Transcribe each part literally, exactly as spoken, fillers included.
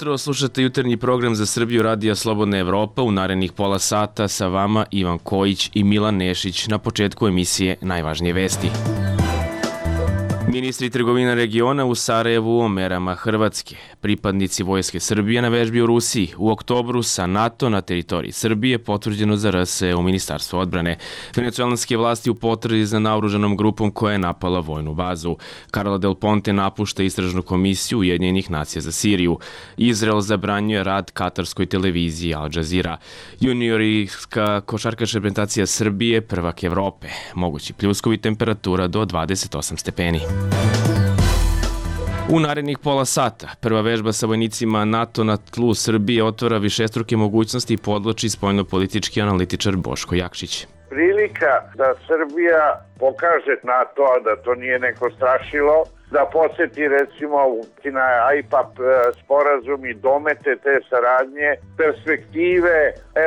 jutro, slušate jutarnji program za Srbiju Radija Slobodna Evropa. U narednih pola sata sa vama Ivan Kojić i Milan Nešić. Na početku emisije najvažnije vesti. Ministri trgovina regiona u Sarajevu o merama Hrvatske. Pripadnici Vojske Srbije na vežbi u Rusiji. U oktobru sa NATO na teritoriji Srbije potvrđeno za R S u Ministarstvu odbrane. Venecuelanske vlasti u potrazi za naoružanom grupom koja je napala vojnu bazu. Carla Del Ponte napušta istražnu komisiju Ujedinjenih nacija za Siriju. Izrael zabranjuje rad katarskoj televiziji Al Jazeera. Juniorska košarkaška reprezentacija Srbije prvak Evrope. Mogući pljuskovi, temperatura do dvadeset osam stepeni. U narednih pola sata prva vežba sa vojnicima NATO na tlu Srbije otvara višestruke mogućnosti i podvlači spoljnopolitički analitičar Boško Jakšić. Prilika da Srbija pokaže NATO, a da to nije neko strašilo, da posjeti recimo na I P A P sporazum i domete te saradnje, perspektive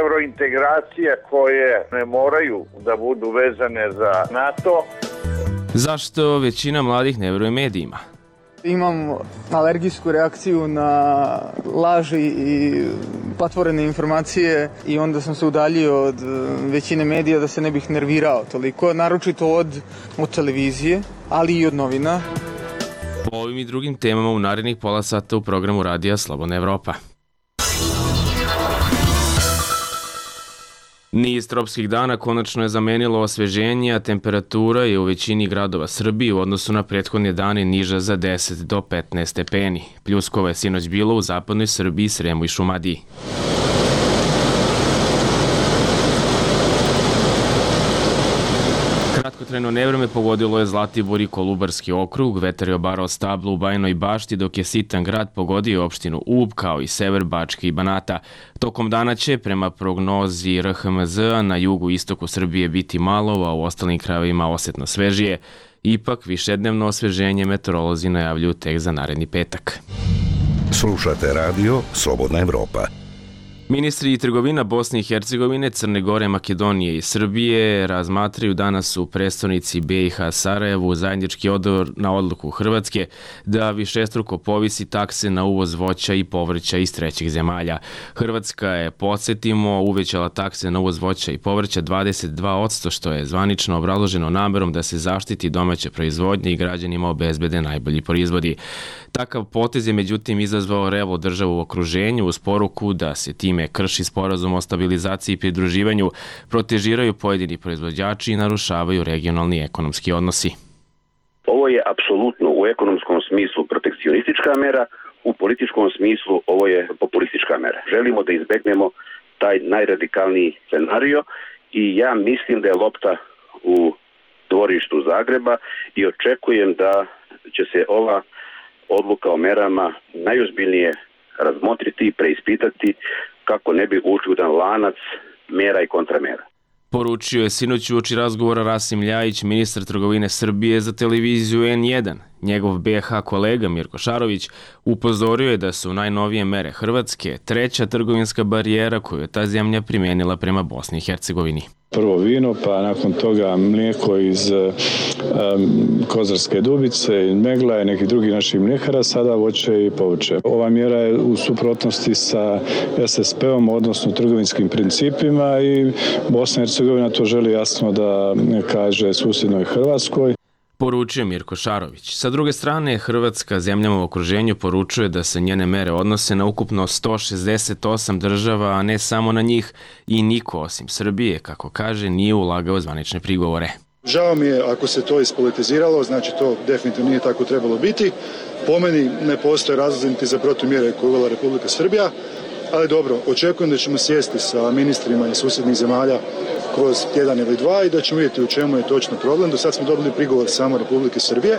evrointegracija koje ne moraju da budu vezane za NATO. Zašto većina mladih ne veruje medijima? Imam alergijsku reakciju na laži i patvorene informacije i onda sam se udaljio od većine medija da se ne bih nervirao toliko, naročito od, od televizije, ali i od novina. Po ovim i drugim temama u narednih pola sata u programu Radija Slobodna Evropa. Niz tropskih dana konačno je zamenilo osveženje, a temperatura je u većini gradova Srbije u odnosu na prethodne dane niža za deset do petnaest stepeni. Pljuskova je sinoć bilo u zapadnoj Srbiji, Sremu i Šumadiji. Kratkotrajno nevreme pogodilo je Zlatibor i Kolubarski okrug, vetar je obarao stablo u Bajinoj Bašti, dok je sitan grad pogodio opštinu Ub, kao i sever Bačke i Banata. Tokom dana će, prema prognozi R H M Z-a, na jugu istoku Srbije biti malo, a u ostalim krajevima osetno svežije. Ipak, višednevno osveženje meteorolozi najavljuju tek za naredni petak. Slušate radio Slobodna Evropa. Ministri trgovina Bosne i Hercegovine, Crne Gore, Makedonije i Srbije razmatraju danas u prestonici B i H Sarajevu zajednički odgovor na odluku Hrvatske da višestruko povisi takse na uvoz voća i povrća iz trećih zemalja. Hrvatska je, podsjetimo, uvećala takse na uvoz voća i povrća dvadeset dva posto, što je zvanično obrazloženo namerom da se zaštiti domaća proizvodnja i građanima obezbede najbolji proizvodi. Takav potez je međutim izazvao revo državu u okruženju uz poruku da se time krši sporazum o stabilizaciji i pridruživanju, protežiraju pojedini proizvođači i narušavaju regionalni ekonomski odnosi. Ovo je apsolutno u ekonomskom smislu protekcionistička mera, u političkom smislu ovo je populistička mera. Želimo da izbegnemo taj najradikalniji scenario i ja mislim da je lopta u dvorištu Zagreba i očekujem da će se ova odluka o merama najozbiljnije razmotriti i preispitati kako ne bi ušli u jedan lanac mera i kontramera. Poručio je sinoć uoči razgovora Rasim Ljajić, ministar trgovine Srbije, za televiziju N jedan. Njegov B H kolega Mirko Šarović upozorio je da su najnovije mere Hrvatske treća trgovinska barijera koju je ta zemlja primijenila prema Bosni i Hercegovini. Prvo vino, pa nakon toga mlijeko iz um, Kozarske Dubice, Megla i nekih drugih naših mljekara, sada voće i povrće. Ova mjera je u suprotnosti sa S S P-om, odnosno trgovinskim principima, i Bosna i Hercegovina to želi jasno da kaže susjednoj Hrvatskoj. Poručuje Mirko Šarović. Sa druge strane, Hrvatska zemljama u okruženju poručuje da se njene mere odnose na ukupno sto šezdeset osam država, a ne samo na njih, i niko osim Srbije, kako kaže, nije ulagao zvanične prigovore. Žao mi je ako se to ispolitiziralo, znači to definitivno nije tako trebalo biti. Po meni ne postoje razlozi niti za protumjere koje je uvela Republika Srbija, ali dobro, očekujem da ćemo sjesti sa ministrima iz susjednih zemalja kroz tjedan ili dva i da ćemo vidjeti u čemu je točno problem. Do sad smo dobili prigovor samo Republike Srbije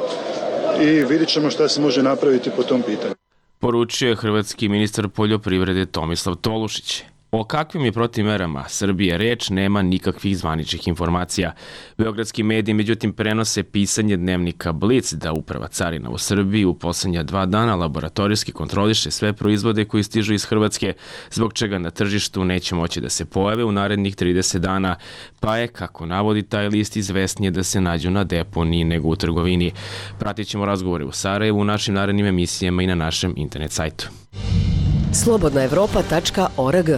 i vidjet ćemo šta se može napraviti po tom pitanju. Poručio je hrvatski ministar poljoprivrede Tomislav Tolušić. O kakvim je protivmerama Srbije reč, nema nikakvih zvaničnih informacija. Beogradski mediji međutim prenose pisanje dnevnika Blic da uprava carina u Srbiji u posljednja dva dana laboratorijski kontroliše sve proizvode koji stižu iz Hrvatske, zbog čega na tržištu neće moći da se pojave u narednih trideset dana, pa je, kako navodi taj list, izvesnije da se nađu na deponiji nego u trgovini. Pratit ćemo razgovore u Sarajevu u našim narednim emisijama i na našem internet sajtu. slobodna evropa tačka org.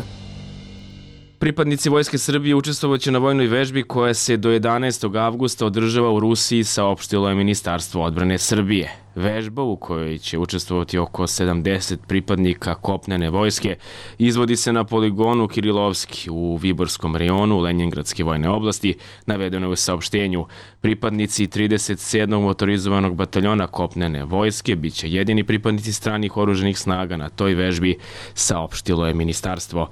Pripadnici Vojske Srbije učestvovaće na vojnoj vežbi koja se do jedanaestog avgusta održava u Rusiji, saopštilo je Ministarstvo odbrane Srbije. Vežba u kojoj će učestvovati oko sedamdeset pripadnika kopnene vojske izvodi se na poligonu Kirilovski u Viborskom rejonu Lenjingradske vojne oblasti, navedeno je u saopštenju. Pripadnici trideset sedmog motorizovanog bataljona kopnene vojske biće jedini pripadnici stranih oruženih snaga na toj vežbi, saopštilo je ministarstvo.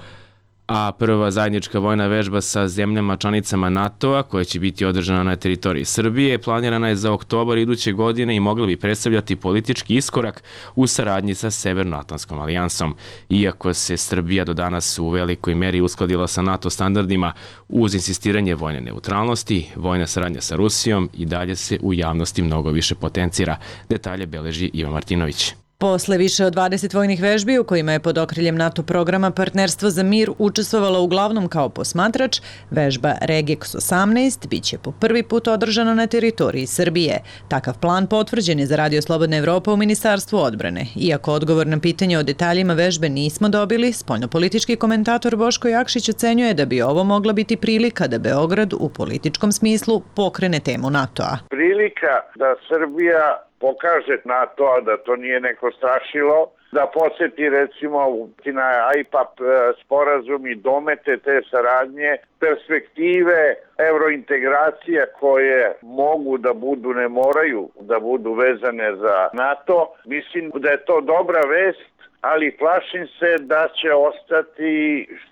A prva zajednička vojna vežba sa zemljama članicama NATO-a, koja će biti održana na teritoriji Srbije, planirana je za oktobar iduće godine i mogla bi predstavljati politički iskorak u saradnji sa Severnoatlantskom alijansom. Iako se Srbija do danas u velikoj meri uskladila sa NATO standardima, uz insistiranje vojne neutralnosti, vojna saradnja sa Rusijom i dalje se u javnosti mnogo više potencira. Detalje beleži Ivan Martinović. Posle više od dvadeset vojnih vežbi u kojima je pod okriljem NATO programa Partnerstvo za mir učestvovala uglavnom kao posmatrač, vežba Regex osamnaest biće po prvi put održana na teritoriji Srbije. Takav plan potvrđen je za Radio Slobodna Evropa u Ministarstvu odbrane. Iako odgovor na pitanje o detaljima vežbe nismo dobili, spoljnopolitički komentator Boško Jakšić ocenjuje da bi ovo mogla biti prilika da Beograd u političkom smislu pokrene temu NATO-a. Prilika da Srbija pokaže NATO da to nije neko strašilo, da posjeti recimo na I P A P sporazum i domete te saradnje, perspektive eurointegracija koje mogu da budu, ne moraju da budu vezane za NATO. Mislim da je to dobra vest, ali plašim se da će ostati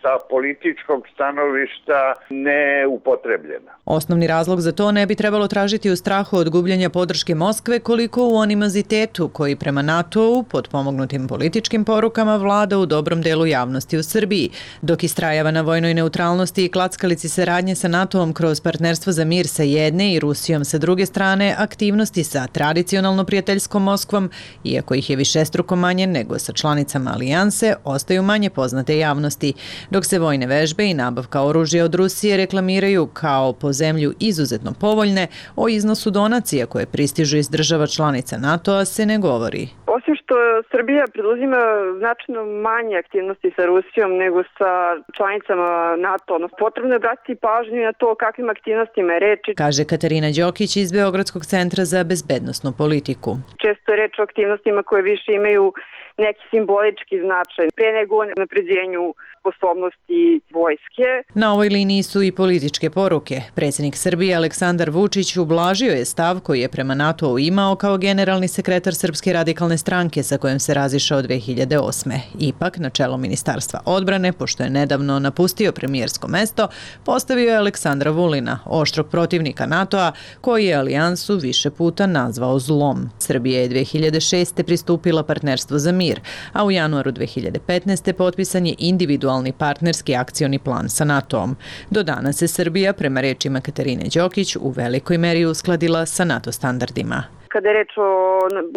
sa političkog stanovišta neupotrebljena. Osnovni razlog za to ne bi trebalo tražiti u strahu od gubljenja podrške Moskve, koliko u animozitetu koji prema NATO-u, pod pomognutim političkim porukama, vlada u dobrom delu javnosti u Srbiji. Dok istrajava na vojnoj neutralnosti i klackalici saradnje sa NATO-om kroz Partnerstvo za mir sa jedne i Rusijom sa druge strane, aktivnosti sa tradicionalno prijateljskom Moskvom, iako ih je višestruko manje nego sa članicama alijanse, ostaju manje poznate javnosti, dok se vojne vežbe i nabavka oružja od Rusije reklamiraju kao po zemlju izuzetno povoljne, o iznosu donacija koje pristižu iz država članica NATO-a se ne govori. Osim što Srbija preduzima značajno manje aktivnosti sa Rusijom nego sa članicama NATO, no potrebno je obratiti pažnju na to kakvim aktivnostima je reč, kaže Katarina Đokić iz Beogradskog centra za bezbednosnu politiku. Često je reč o aktivnostima koje više imaju neki simbolički značaj, pre nego o napređenju sposobnosti vojske. Na ovoj liniji su i političke poruke. Predsjednik Srbije Aleksandar Vučić ublažio je stav koji je prema NATO-u imao kao generalni sekretar Srpske radikalne stranke sa kojom se razišao dve hiljade osme. Ipak, na čelo Ministarstva odbrane, pošto je nedavno napustio premijersko mesto, postavio je Aleksandra Vulina, oštrog protivnika NATO-a, koji je alijansu više puta nazvao zlom. Srbija je dve hiljade šeste pristupila Partnerstvu za mir, a u januaru dve hiljade petnaeste potpisan je individualni partnerski akcioni plan sa NATO-om. Do danas se Srbija, prema rečima Katarine Đokić, u velikoj meri uskladila sa NATO standardima. Kada je reč o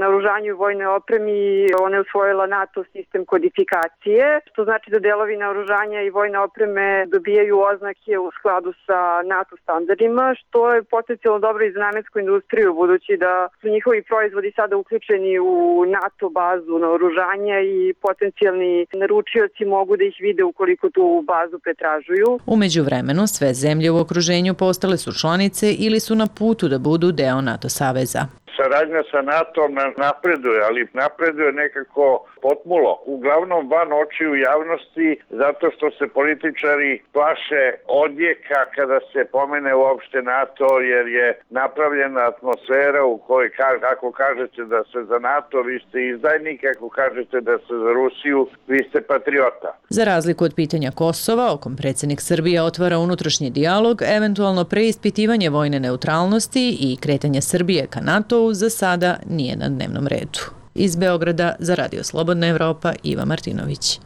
naoružanju i vojnoj opremi, ona je usvojila NATO sistem kodifikacije, što znači da delovi naoružanja i vojne opreme dobijaju oznake u skladu sa NATO standardima, što je potencijalno dobro i za namensku industriju, budući da su njihovi proizvodi sada uključeni u NATO bazu naoružanja i potencijalni naručioci mogu da ih vide ukoliko tu bazu pretražuju. U međuvremenu, sve zemlje u okruženju postale su članice ili su na putu da budu deo NATO saveza. Saradnja sa NATO-om napreduje, ali napreduje nekako potmulo. Uglavnom van očiju javnosti, zato što se političari plaše odjeka kada se pomene uopšte NATO, jer je napravljena atmosfera u kojoj ako kažete da ste za NATO, vi ste izdajnik, ako kažete da ste za Rusiju, vi ste patriota. Za razliku od pitanja Kosova, o kom predsjednik Srbije otvara unutrašnji dijalog, eventualno preispitivanje vojne neutralnosti i kretanje Srbije ka NATO za sada nije na dnevnom redu. Iz Beograda za Radio Slobodna Evropa, Iva Martinović.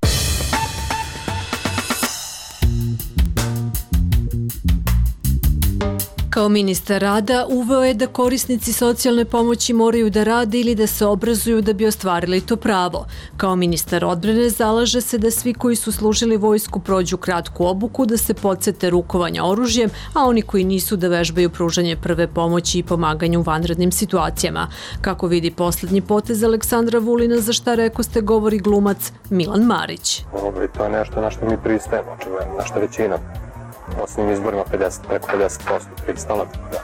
Kao ministar rada uveo je da korisnici socijalne pomoći moraju da rade ili da se obrazuju da bi ostvarili to pravo. Kao ministar odbrane zalaže se da svi koji su služili vojsku prođu kratku obuku, da se podsete rukovanja oružjem, a oni koji nisu da vežbaju pružanje prve pomoći i pomaganje u vanrednim situacijama. Kako vidi poslednji potez Aleksandra Vulina, za šta rekao ste govori glumac Milan Marić. To je nešto na što mi pristajemo, očigledno, na što većina posljednjim izborima pedeset, preko pedeset posto pristala. Da.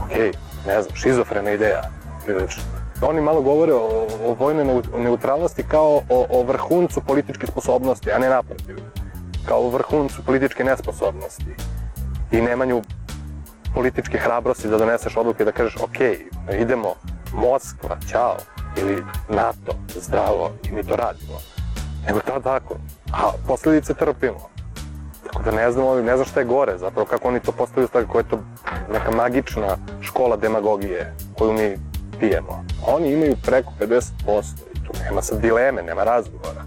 Okej, ne znam, šizofrena ideja. Prilično. Oni malo govore o, o vojnoj neutralnosti kao o, o vrhuncu političke sposobnosti, a ne naprotiv. Kao o vrhuncu političke nesposobnosti i nemanju političke hrabrosti da doneseš odluke i da kažeš okej, idemo Moskva, ćao, ili NATO, zdravo, i mi to radimo. Nego to tako, a posljedice trpimo. Tako da ne znam, ne znam šta je gore, zapravo kako oni to postavljaju, kako je to neka magična škola demagogije koju mi pijemo. Oni imaju preko pedeset posto i tu nema sad dileme, nema razgovora.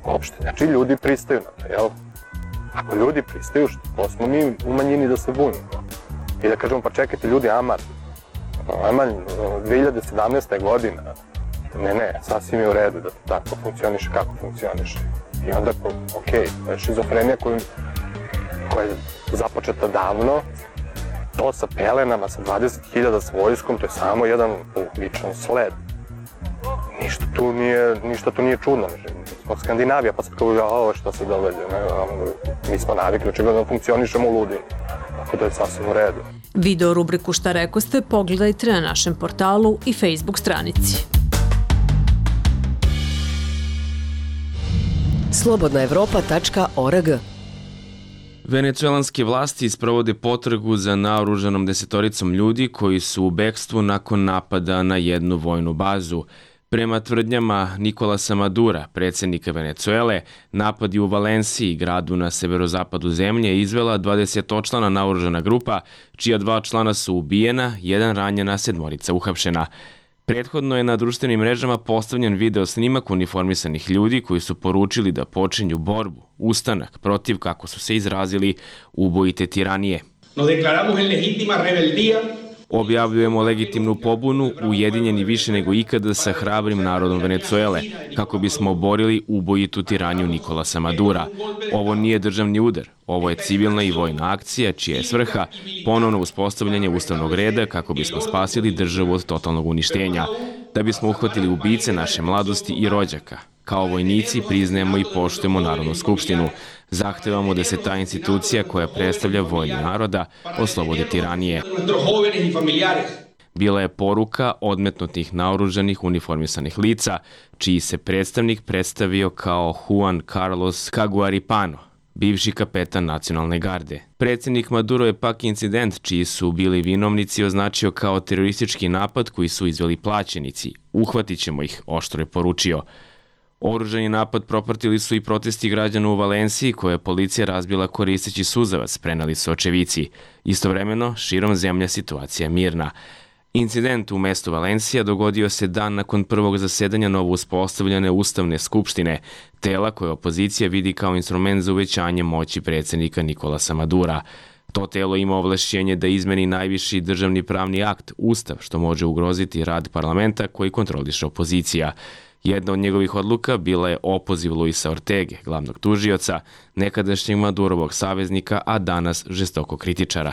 Uopšte, znači ljudi pristaju na to, jel? Ako ljudi pristaju, što smo mi u manjini da se bunimo. I da kažemo, pa čekajte ljudi, aman, aman, dve hiljade sedamnaesta godina, ne, ne, sasvim je u redu da to tako funkcioniše kako funkcioniše. I onda, okej, to je šizofrenija koju, koja je započeta davno, to sa pelenama, sa dvadeset hiljada s vojskom, to je samo jedan uobičajen sled. Ništa tu nije, ništa tu nije čudno. Smo Skandinavija, pa sad kao, ja, ovo što se događa, mi smo navikli, očigledno da funkcionišemo u ludini. Tako da je sasvim u redu. Video rubriku Šta reko ste pogledajte na našem portalu i Facebook stranici. slobodna evropa tačka org. Venecuelanske vlasti sprovode potragu za naoružanom desetoricom ljudi koji su u bekstvu nakon napada na jednu vojnu bazu. Prema tvrdnjama Nikolasa Madura, predsjednika Venecuele, napadi u Valenciji, gradu na severozapadu zemlje, izvela dvadesetočlana naoružana grupa, čija dva člana su ubijena, jedan ranjena, sedmorica uhapšena. Prethodno je na društvenim mrežama postavljen video snimak uniformisanih ljudi koji su poručili da počinju borbu, ustanak protiv, kako su se izrazili, ubojite tiranije. Nos declaramos en legítima rebeldía. Objavljujemo legitimnu pobunu, ujedinjeni više nego ikada sa hrabrim narodom Venecuele, kako bismo oborili ubojitu tiraniju Nikolasa Madura. Ovo nije državni udar, ovo je civilna i vojna akcija, čija je svrha ponovno uspostavljanje ustavnog reda kako bismo spasili državu od totalnog uništenja, da bismo uhvatili ubice naše mladosti i rođaka. Kao vojnici priznajemo i poštujemo Narodnu skupštinu. Zahtevamo da se ta institucija koja predstavlja volju naroda oslobodi tiranije. Bila je poruka odmetnutih naoružanih uniformisanih lica, čiji se predstavnik predstavio kao Juan Carlos Caguaripano, bivši kapetan nacionalne garde. Predsjednik Maduro je pak incident čiji su bili vinovnici označio kao teroristički napad koji su izveli plaćenici. Uhvatit ćemo ih, oštro je poručio. Oružani napad propratili su i protesti građana u Valenciji koje je policija razbila koristeći suzavac, preneli su očevici. Istovremeno, širom zemlja situacija je mirna. Incident u mestu Valencija dogodio se dan nakon prvog zasedanja novo uspostavljene Ustavne skupštine, tela koje opozicija vidi kao instrument za uvećanje moći predsjednika Nikolasa Madura. To telo ima ovlašćenje da izmeni najviši državni pravni akt, Ustav, što može ugroziti rad parlamenta koji kontroliše opozicija. Jedna od njegovih odluka bila je opoziv Luisa Ortege, glavnog tužioca, nekadašnjeg Madurovog saveznika, a danas žestoko kritičara.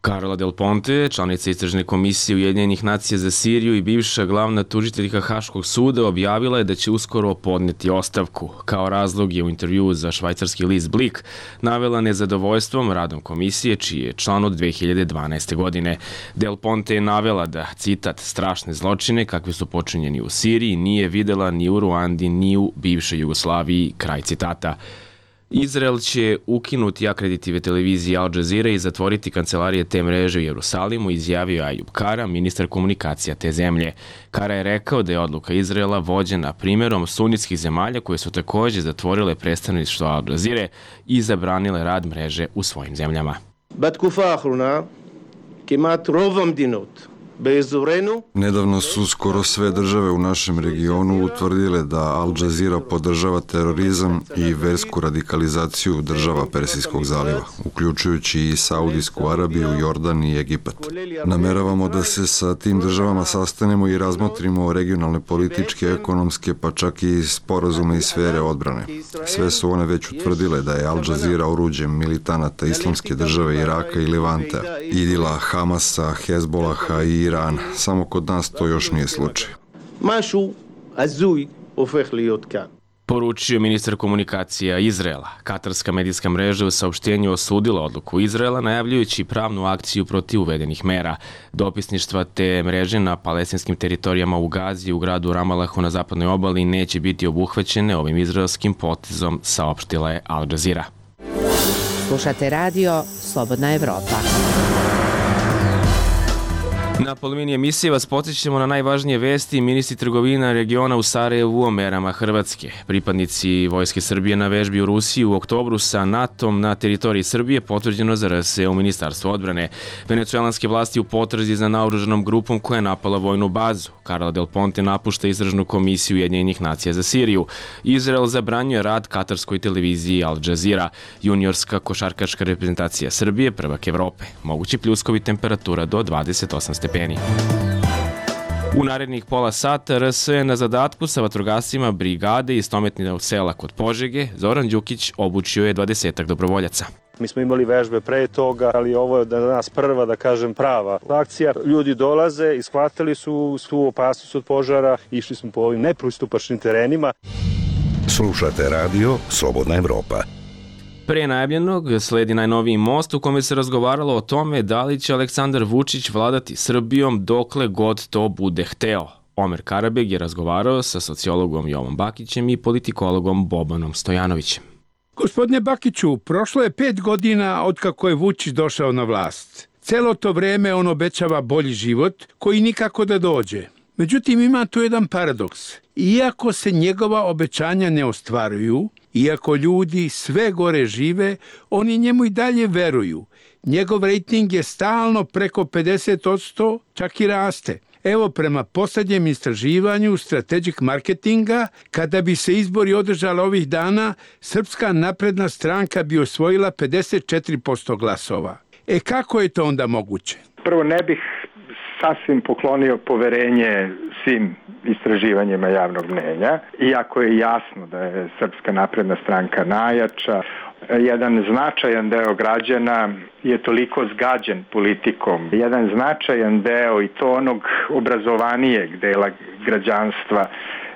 Carla Del Ponte, članica istražne komisije Ujedinjenih nacija za Siriju i bivša glavna tužiteljka Haškog suda, objavila je da će uskoro podneti ostavku. Kao razlog je u intervjuu za švajcarski list Blick navela nezadovoljstvom radom komisije, čiji je član od dve hiljade dvanaeste. godine. Del Ponte je navela da, citat, strašne zločine kakvi su počinjeni u Siriji nije videla ni u Ruandi ni u bivšoj Jugoslaviji, kraj citata. Izrael će ukinuti akreditive televizije Al Jazeera i zatvoriti kancelarije te mreže u Jerusalimu, izjavio Ajub Kara, ministar komunikacija te zemlje. Kara je rekao da je odluka Izraela vođena primjerom sunitskih zemalja koje su također zatvorile predstavništvo Al Jazeere i zabranile rad mreže u svojim zemljama. בתקופה האחרונה כמעט רוב המדינות Nedavno su skoro sve države u našem regionu utvrdile da Al Jazeera podržava terorizam i versku radikalizaciju država Persijskog zaliva, uključujući i Saudijsku Arabiju, Jordan i Egipat. Nameravamo da se sa tim državama sastanemo i razmotrimo regionalne političke, ekonomske, pa čak i sporazume iz sfere odbrane. Sve su one već utvrdile da je Al Jazeera oruđe militanata Islamske države Iraka i Levanta, Idila, Hamasa, Hezbolaha i Irana. Samo kod nas to još nije slučaj. Poručio ministar komunikacija Izraela. Katarska medijska mreža u saopštenju osudila odluku Izraela, najavljujući pravnu akciju protiv uvedenih mera. Dopisništva te mreže na palestinskim teritorijama u Gazi, u gradu Ramalahu na zapadnoj obali neće biti obuhvaćene ovim izraelskim potezom, saopštila je Al Jazeera. Slušate radio Slobodna Evropa. Na polovini emisije vas podsjećamo na najvažnije vesti. Ministri trgovina regiona u Sarajevu o merama Hrvatske. Pripadnici Vojske Srbije na vežbi u Rusiji u oktobru sa NATO-om na teritoriji Srbije potvrđeno za R S E u Ministarstvu odbrane. Venecuelanske vlasti u potrazi za naoružanom grupom koja je napala vojnu bazu. Carla Del Ponte napušta istražnu komisiju Ujedinjenih nacija za Siriju. Izrael zabranjuje rad katarskoj televiziji Al Jazeera. Juniorska košarkaška reprezentacija Srbije, prvak Evrope. Mogući pljuskovi, temperatura do dvadeset osam stepeni. U narednih pola sata R S E na zadatku sa vatrogascima brigade iz Tometninog sela kod Požege. Zoran Đukić obučio je dvadesetak dobrovoljaca. Mi smo imali vežbe pre toga, ali ovo je da nas prva, da kažem, prava akcija. Ljudi dolaze, ishvatili su svu opasnost od požara, išli smo po ovim nepristupačnim terenima. Slušate radio Slobodna Evropa. Pre najavljenog sledi najnoviji most u kome se razgovaralo o tome da li će Aleksandar Vučić vladati Srbijom dokle god to bude hteo. Omer Karabeg je razgovarao sa sociologom Jovom Bakićem i politikologom Bobanom Stojanovićem. Gospodine Bakiću, prošlo je pet godina od kako je Vučić došao na vlast. Celo to vreme on obećava bolji život koji nikako da dođe. Međutim, ima tu jedan paradoks. Iako se njegova obećanja ne ostvaruju, iako ljudi sve gore žive, oni njemu i dalje veruju. Njegov rejting je stalno preko pedeset posto, čak i raste. Evo, prema posljednjem istraživanju Strategic Marketinga, kada bi se izbori održali ovih dana, Srpska napredna stranka bi osvojila pedeset četiri posto glasova. E kako je to onda moguće? Prvo, ne bih sasvim poklonio poverenje svim istraživanjima javnog mnenja, iako je jasno da je Srpska napredna stranka najjača. Jedan značajan deo građana je toliko zgađen politikom. Jedan značajan deo, i to onog obrazovanijeg dela građanstva,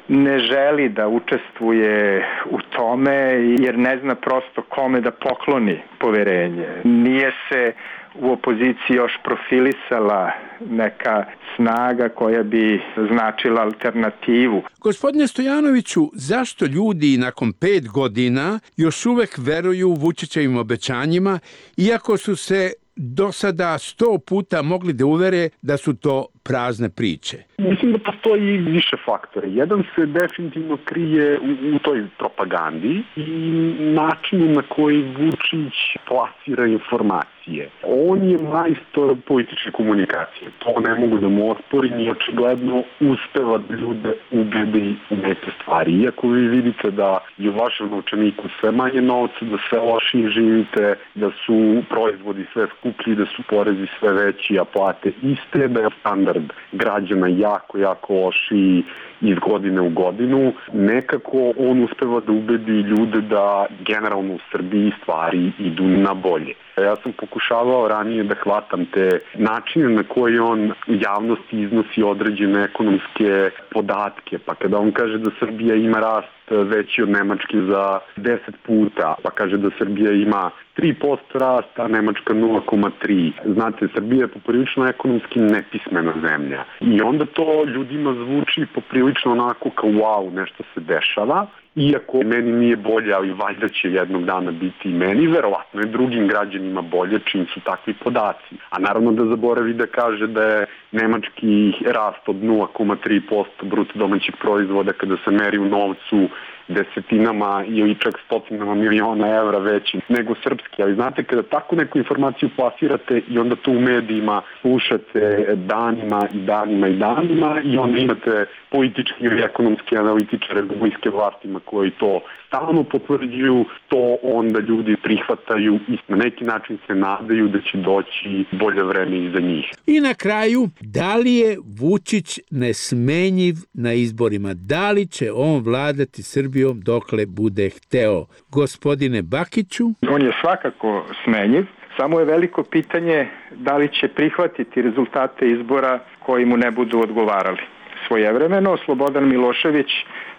ne želi da učestvuje u tome jer ne zna prosto kome da pokloni poverenje. Nije se u opoziciji još profilisala neka snaga koja bi značila alternativu. Gospodine Stojanoviću, zašto ljudi nakon pet godina još uvek veruju Vučićevim obećanjima, iako su se do sada sto puta mogli da uvere da su to prazne priče? Mislim da postoji više faktora. Jedan se definitivno krije u, u toj propagandi i načinu na koji Vučić plasira informacije. On je majstor političke komunikacije. To ne mogu da mu osporim i očigledno uspeva da ljude ubedi u neke stvari. Iako vi vidite da je u vašem novčaniku sve manje novca, da sve lošije živite, da su proizvodi sve skuplji, da su porezi sve veći, a plate iste, da je standard građana jako, jako lošiji iz godine u godinu. Nekako on uspeva da ubedi ljude da generalno u Srbiji stvari idu na bolje. Ja sam pokušavao ranije da hvatam te načine na koji on u javnosti iznosi određene ekonomske podatke. Pa kada on kaže da Srbija ima rast veći od Nemačke za deset puta, pa kaže da Srbija ima tri posto rasta, a Nemačka nula zarez tri. Znate, Srbija je poprilično ekonomski nepismena zemlja. I onda to ljudima zvuči poprilično onako kao wow, nešto se dešava. Iako meni nije bolje, ali valjda će jednog dana biti i meni, verovatno je drugim građanima bolje čim su takvi podaci. A naravno da zaboravi da kaže da je nemački rast od nula zarez tri posto bruto domaćeg proizvoda kada se meri u novcu desetinama ili čak stotinama miliona evra veći nego srpski. Ali znate, kada tako neku informaciju plasirate i onda to u medijima slušate danima i danima i danima i onda imate politički ili ekonomski analitičare republičke vlastima koji to stalno potvrđuju, to onda ljudi prihvataju i na neki način se nadaju da će doći bolje vreme iza njih. I na kraju, da li je Vučić nesmenjiv na izborima? Da li će on vladati Srbijom dokle bude hteo? Gospodine Bakiću? On je svakako smenjiv, samo je veliko pitanje da li će prihvatiti rezultate izbora koji mu ne budu odgovarali. Svojevremeno Slobodan Milošević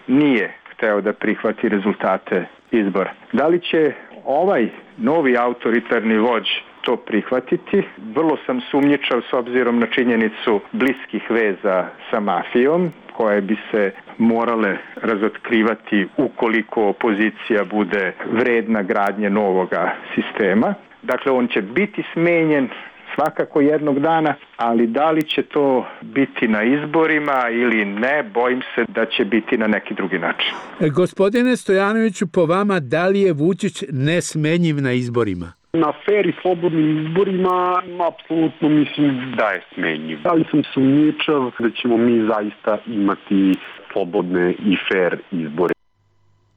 nije hteo da prihvati rezultate izbora. Da li će ovaj novi autoritarni vođ to prihvatiti? Vrlo sam sumnjičav s obzirom na činjenicu bliskih veza sa mafijom, koje bi se morale razotkrivati ukoliko opozicija bude vredna gradnje novoga sistema. Dakle, on će biti smenjen svakako jednog dana, ali da li će to biti na izborima ili ne, bojim se da će biti na neki drugi način. Gospodine Stojanoviću, po vama, da li je Vučić nesmenjiv na izborima? Na fer i slobodnim izborima apsolutno mislim da je smenjiv. Ali sam sumnjičav da ćemo mi zaista imati slobodne i fer izbore.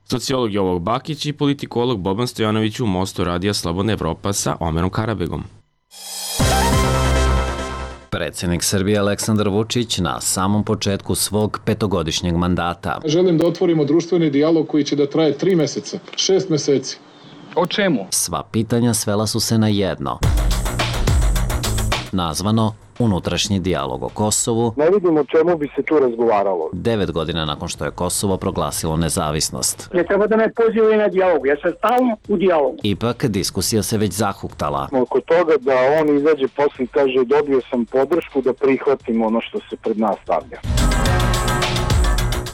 Sociolog Jovo Bakić i politikolog Boban Stojanović u Mostu radija Slobodna Evropa sa Omerom Karabegom. Predsjednik Srbije Aleksandar Vučić na samom početku svog petogodišnjeg mandata. Želim da otvorimo društveni dijalog koji će da traje tri meseca, šest meseci. O čemu? Sva pitanja svela su se na jedno. Nazvano unutrašnji dijalog o Kosovu. Ne vidim o čemu bi se tu razgovaralo. Devet godina nakon što je Kosovo proglasilo nezavisnost. Ne treba da me pozivaju na dijalog, ja sam stalno u dijalogu. Ipak diskusija se već zahuktala. Oko toga da on izađe posle i kaže dobio sam podršku da prihvatim ono što se pred nas stavlja.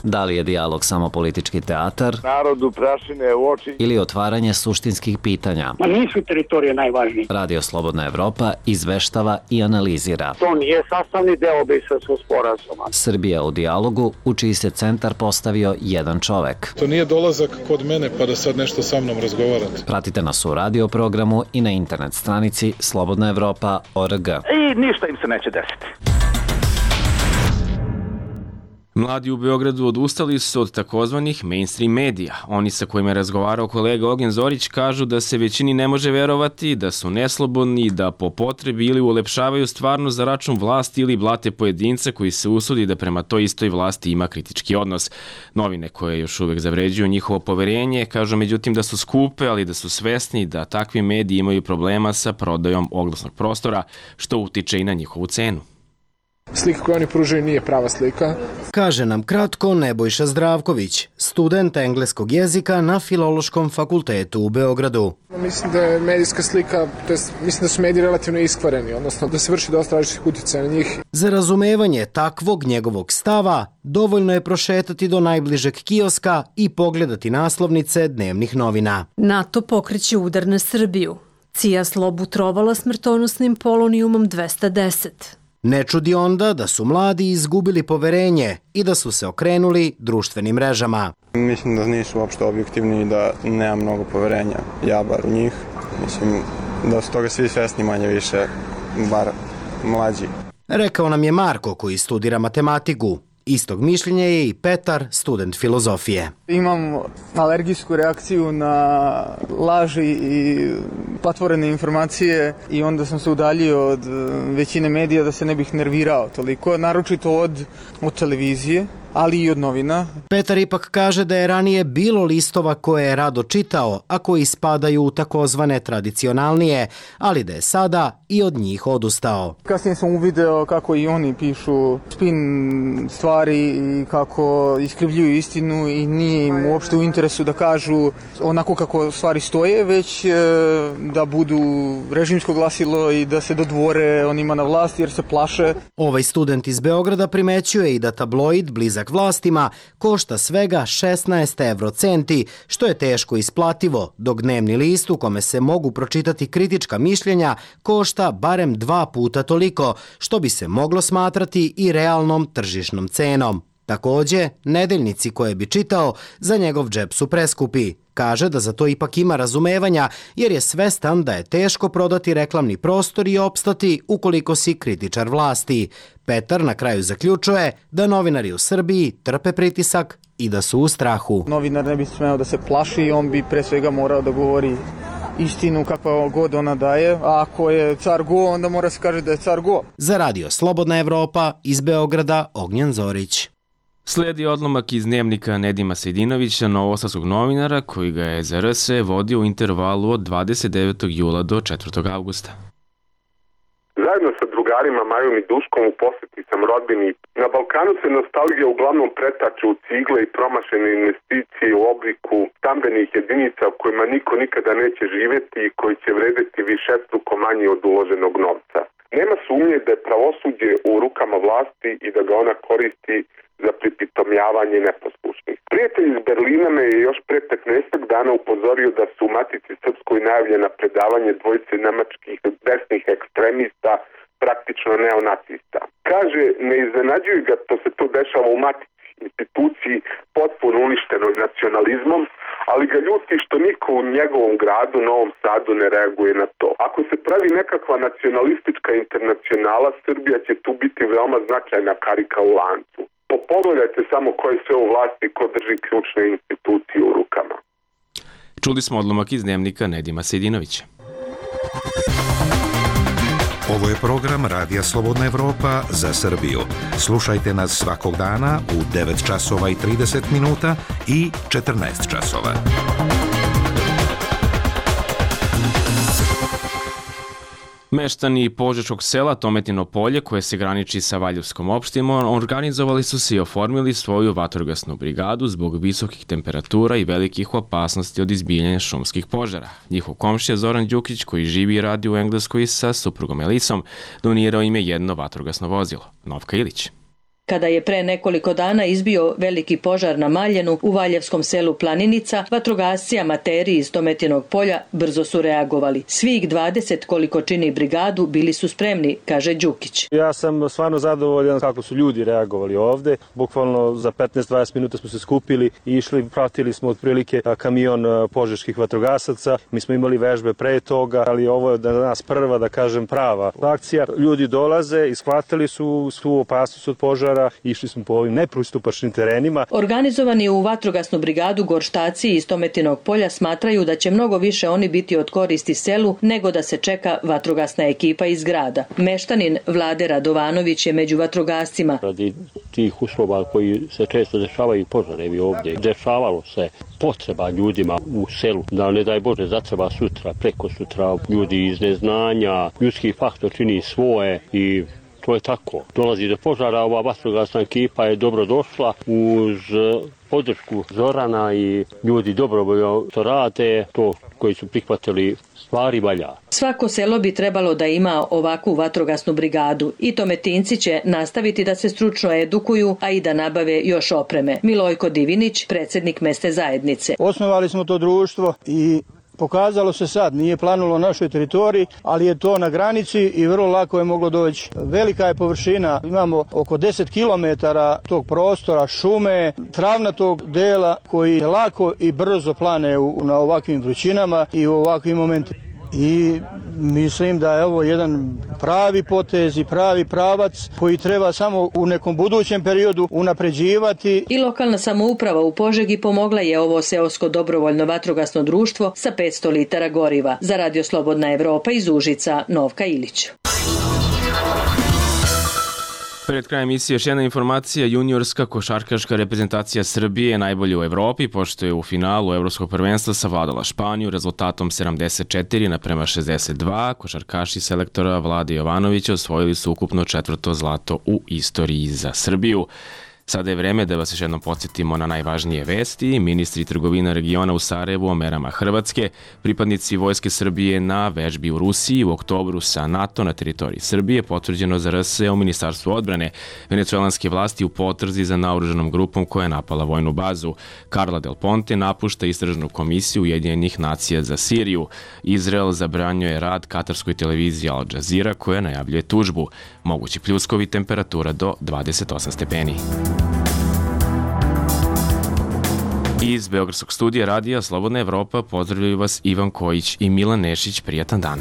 Da li je dijalog samo politički teatar? Narodu prašine u oči. Ili otvaranje suštinskih pitanja? Ma nisu teritorije najvažnije. Radio Slobodna Evropa izveštava i analizira. To nije sastavni deo Briselskog sporazuma. Srbija u dijalogu, u čiji se centar postavio jedan čovek. To nije dolazak kod mene pa da sad nešto sa mnom razgovarate. Pratite nas u radio programu i na internet stranici slobodna evropa tačka org. I ništa im se neće desiti. Mladi u Beogradu odustali su od takozvanih mainstream medija. Oni sa kojima je razgovarao kolega Ognjen Zorić kažu da se većini ne može verovati, da su neslobodni, da po potrebi ili ulepšavaju stvarno za račun vlasti ili blate pojedinca koji se usudi da prema toj istoj vlasti ima kritički odnos. Novine koje još uvek zavređuju njihovo poverenje kažu međutim da su skupe, ali da su svesni da takvi mediji imaju problema sa prodajom oglasnog prostora, što utiče i na njihovu cenu. Slika koju oni pružaju nije prava slika. Kaže nam kratko Nebojša Zdravković, student engleskog jezika na Filološkom fakultetu u Beogradu. Mislim da je medijska slika, to jest, mislim da su mediji relativno iskvareni, odnosno da se vrši dosta različitih utjecaja na njih. Za razumevanje takvog njegovog stava, dovoljno je prošetati do najbližeg kioska i pogledati naslovnice dnevnih novina. NATO pokreće udar na Srbiju. C I A Slobu trovala smrtonosnim polonijumom dvesta deset. Ne čudi onda da su mladi izgubili poverenje i da su se okrenuli društvenim mrežama. Mislim da nisu uopšte objektivni i da nema mnogo poverenja, ja bar u njih. Mislim da su toga svi svesni manje više, bar mlađi. Rekao nam je Marko koji studira matematiku. Istog mišljenja je i Petar, student filozofije. Imam alergijsku reakciju na laži i patvorene informacije i onda sam se udaljio od većine medija da se ne bih nervirao toliko, naročito od, od televizije, ali i od novina. Petar ipak kaže da je ranije bilo listova koje je rado čitao, a koji spadaju u takozvane tradicionalnije, ali da je sada i od njih odustao. Kasnije sam uvideo kako i oni pišu spin stvari i kako iskrivljuju istinu i nije im uopšte u interesu da kažu onako kako stvari stoje, već da budu režimsko glasilo i da se dodvore onima na vlasti jer se plaše. Ovaj student iz Beograda primećuje i da tabloid blizak vlastima košta svega šesnaest evrocenti, što je teško isplativo, dok dnevni list u kome se mogu pročitati kritička mišljenja košta barem dva puta toliko, što bi se moglo smatrati i realnom tržišnom cenom. Takođe, nedeljnici koje bi čitao za njegov džep su preskupi. Kaže da za to ipak ima razumevanja jer je svestan da je teško prodati reklamni prostor i opstati ukoliko si kritičar vlasti. Petar na kraju zaključuje da novinari u Srbiji trpe pritisak i da su u strahu. Novinar ne bi smeo da se plaši, on bi pre svega morao da govori istinu kakva god ona daje, a ako je car go, onda mora se kaže da je car go. Za Radio Slobodna Evropa iz Beograda Ognjen Zorić. Sledi odlomak iz dnevnika Nedima Sejdinovića, novosadskog novinara, koji ga je za R S vodio u intervalu od dvadeset devetog jula do četvrtog avgusta. Zajedno sa drugarima Majom i Duškom u poseti sam rodbini. Na Balkanu se nostalgija uglavnom pretače u cigle i promašene investicije u obliku stambenih jedinica u kojima niko nikada neće živeti i koji će vredeti višestruko manje od uloženog novca. Nema sumnje da je pravosuđe u rukama vlasti i da ga ona koristi za pripitomljavanje neposlušnih. Prijatelj iz Berlina me je još pre petnaest dana upozorio da su u Matici Srpskoj najavljena predavanje dvojice nemačkih desnih ekstremista, praktično neonacista. Kaže, ne iznenađuje ga što se to dešava u Matici, instituciji potpuno uništenoj nacionalizmom, ali ga ljuti što niko u njegovom gradu, Novom Sadu, ne reaguje na to. Ako se pravi nekakva nacionalistička internacionala, Srbija će tu biti veoma značajna karika u lancu. Pogledajte samo koje sve u vlasti ko drži ključne institucije u rukama. Čuli smo odlomak iz dnevnika Nedima Sejdinovića. Ovo je program Radija Slobodna Evropa za Srbiju. Slušajte nas svakog dana u devet časova i trideset minuta i četrnaest časova. Meštani Požeškog sela Tometino polje, koje se graniči sa Valjevskom opštinom, organizovali su se i oformili svoju vatrogasnu brigadu zbog visokih temperatura i velikih opasnosti od izbijanja šumskih požara. Njihov komšija Zoran Đukić, koji živi i radi u Engleskoj sa suprugom Elisom, donirao im je jedno vatrogasno vozilo. Novka Ilić. Kada je pre nekoliko dana izbio veliki požar na Maljenu u Valjevskom selu Planinica, vatrogasci amateri iz Tometinog polja brzo su reagovali. Svih dvadeset koliko čini brigadu bili su spremni, kaže Đukić. Ja sam stvarno zadovoljan kako su ljudi reagovali ovde. Bukvalno za petnaest do dvadeset minuta smo se skupili i išli, pratili smo otprilike kamion požeških vatrogasaca. Mi smo imali vežbe pre toga, ali ovo je danas prva, da kažem, prava akcija. Ljudi dolaze i shvatili su svu opasnost od požara. Išli smo po ovim nepristupačnim terenima. Organizovani u vatrogasnu brigadu gorštaci iz Tometinog polja smatraju da će mnogo više oni biti od koristi selu nego da se čeka vatrogasna ekipa iz grada. Meštanin Vlade Radovanović je među vatrogascima. Radi tih uslova koji se često dešavaju požarevi ovdje, dešavalo se potreba ljudima u selu, da ne daj Bože zatreba sutra, preko sutra, ljudi iz neznanja, ljudski faktor čini svoje i to je tako. Dolazi do požara, ova vatrogasna ekipa je dobro došla uz podršku Zorana i ljudi dobrovoljno to rade, to koji su prihvatili stvari valja. Svako selo bi trebalo da ima ovakvu vatrogasnu brigadu i Tometinci će nastaviti da se stručno edukuju, a i da nabave još opreme. Milojko Divinić, predsjednik mesne zajednice. Osnovali smo to društvo i pokazalo se sad, nije planulo našoj teritoriji, ali je to na granici i vrlo lako je moglo doći. Velika je površina, imamo oko deset kilometara tog prostora, šume, travnatog dela koji lako i brzo plane u, na ovakvim vrućinama i u ovakvim momentima. I mislim da je ovo jedan pravi potez i pravi pravac koji treba samo u nekom budućem periodu unapređivati. I lokalna samouprava u Požegi pomogla je ovo seosko dobrovoljno vatrogasno društvo sa petsto litara goriva. Za Radio Slobodna Evropa iz Užica, Novka Ilić. Pred krajem emisije još jedna informacija, juniorska košarkaška reprezentacija Srbije je najbolja u Evropi, pošto je u finalu Evropskog prvenstva savladala Španiju rezultatom sedamdeset četiri naprema šezdeset dva. Košarkaši selektora Vlade Jovanovića osvojili su ukupno četvrto zlato u istoriji za Srbiju. Sada je vreme da vas još jednom podsjetimo na najvažnije vesti. Ministri trgovina regiona u Sarajevu o merama Hrvatske, pripadnici Vojske Srbije na vežbi u Rusiji, u oktobru sa NATO na teritoriji Srbije, potvrđeno za R S u Ministarstvu odbrane, venecuelanske vlasti u potrzi za naoružanom grupom koja je napala vojnu bazu. Carla Del Ponte napušta istražnu komisiju Ujedinjenih nacija za Siriju. Izrael zabranjuje rad katarskoj televiziji Al Jazeera koja najavljuje tužbu. Mogući pljuskovi, temperatura do dvadeset osam stepeni. Iz Beogradskog studija radija Slobodna Evropa pozdravljaju vas Ivan Kojić i Milan Nešić. Prijatan dan.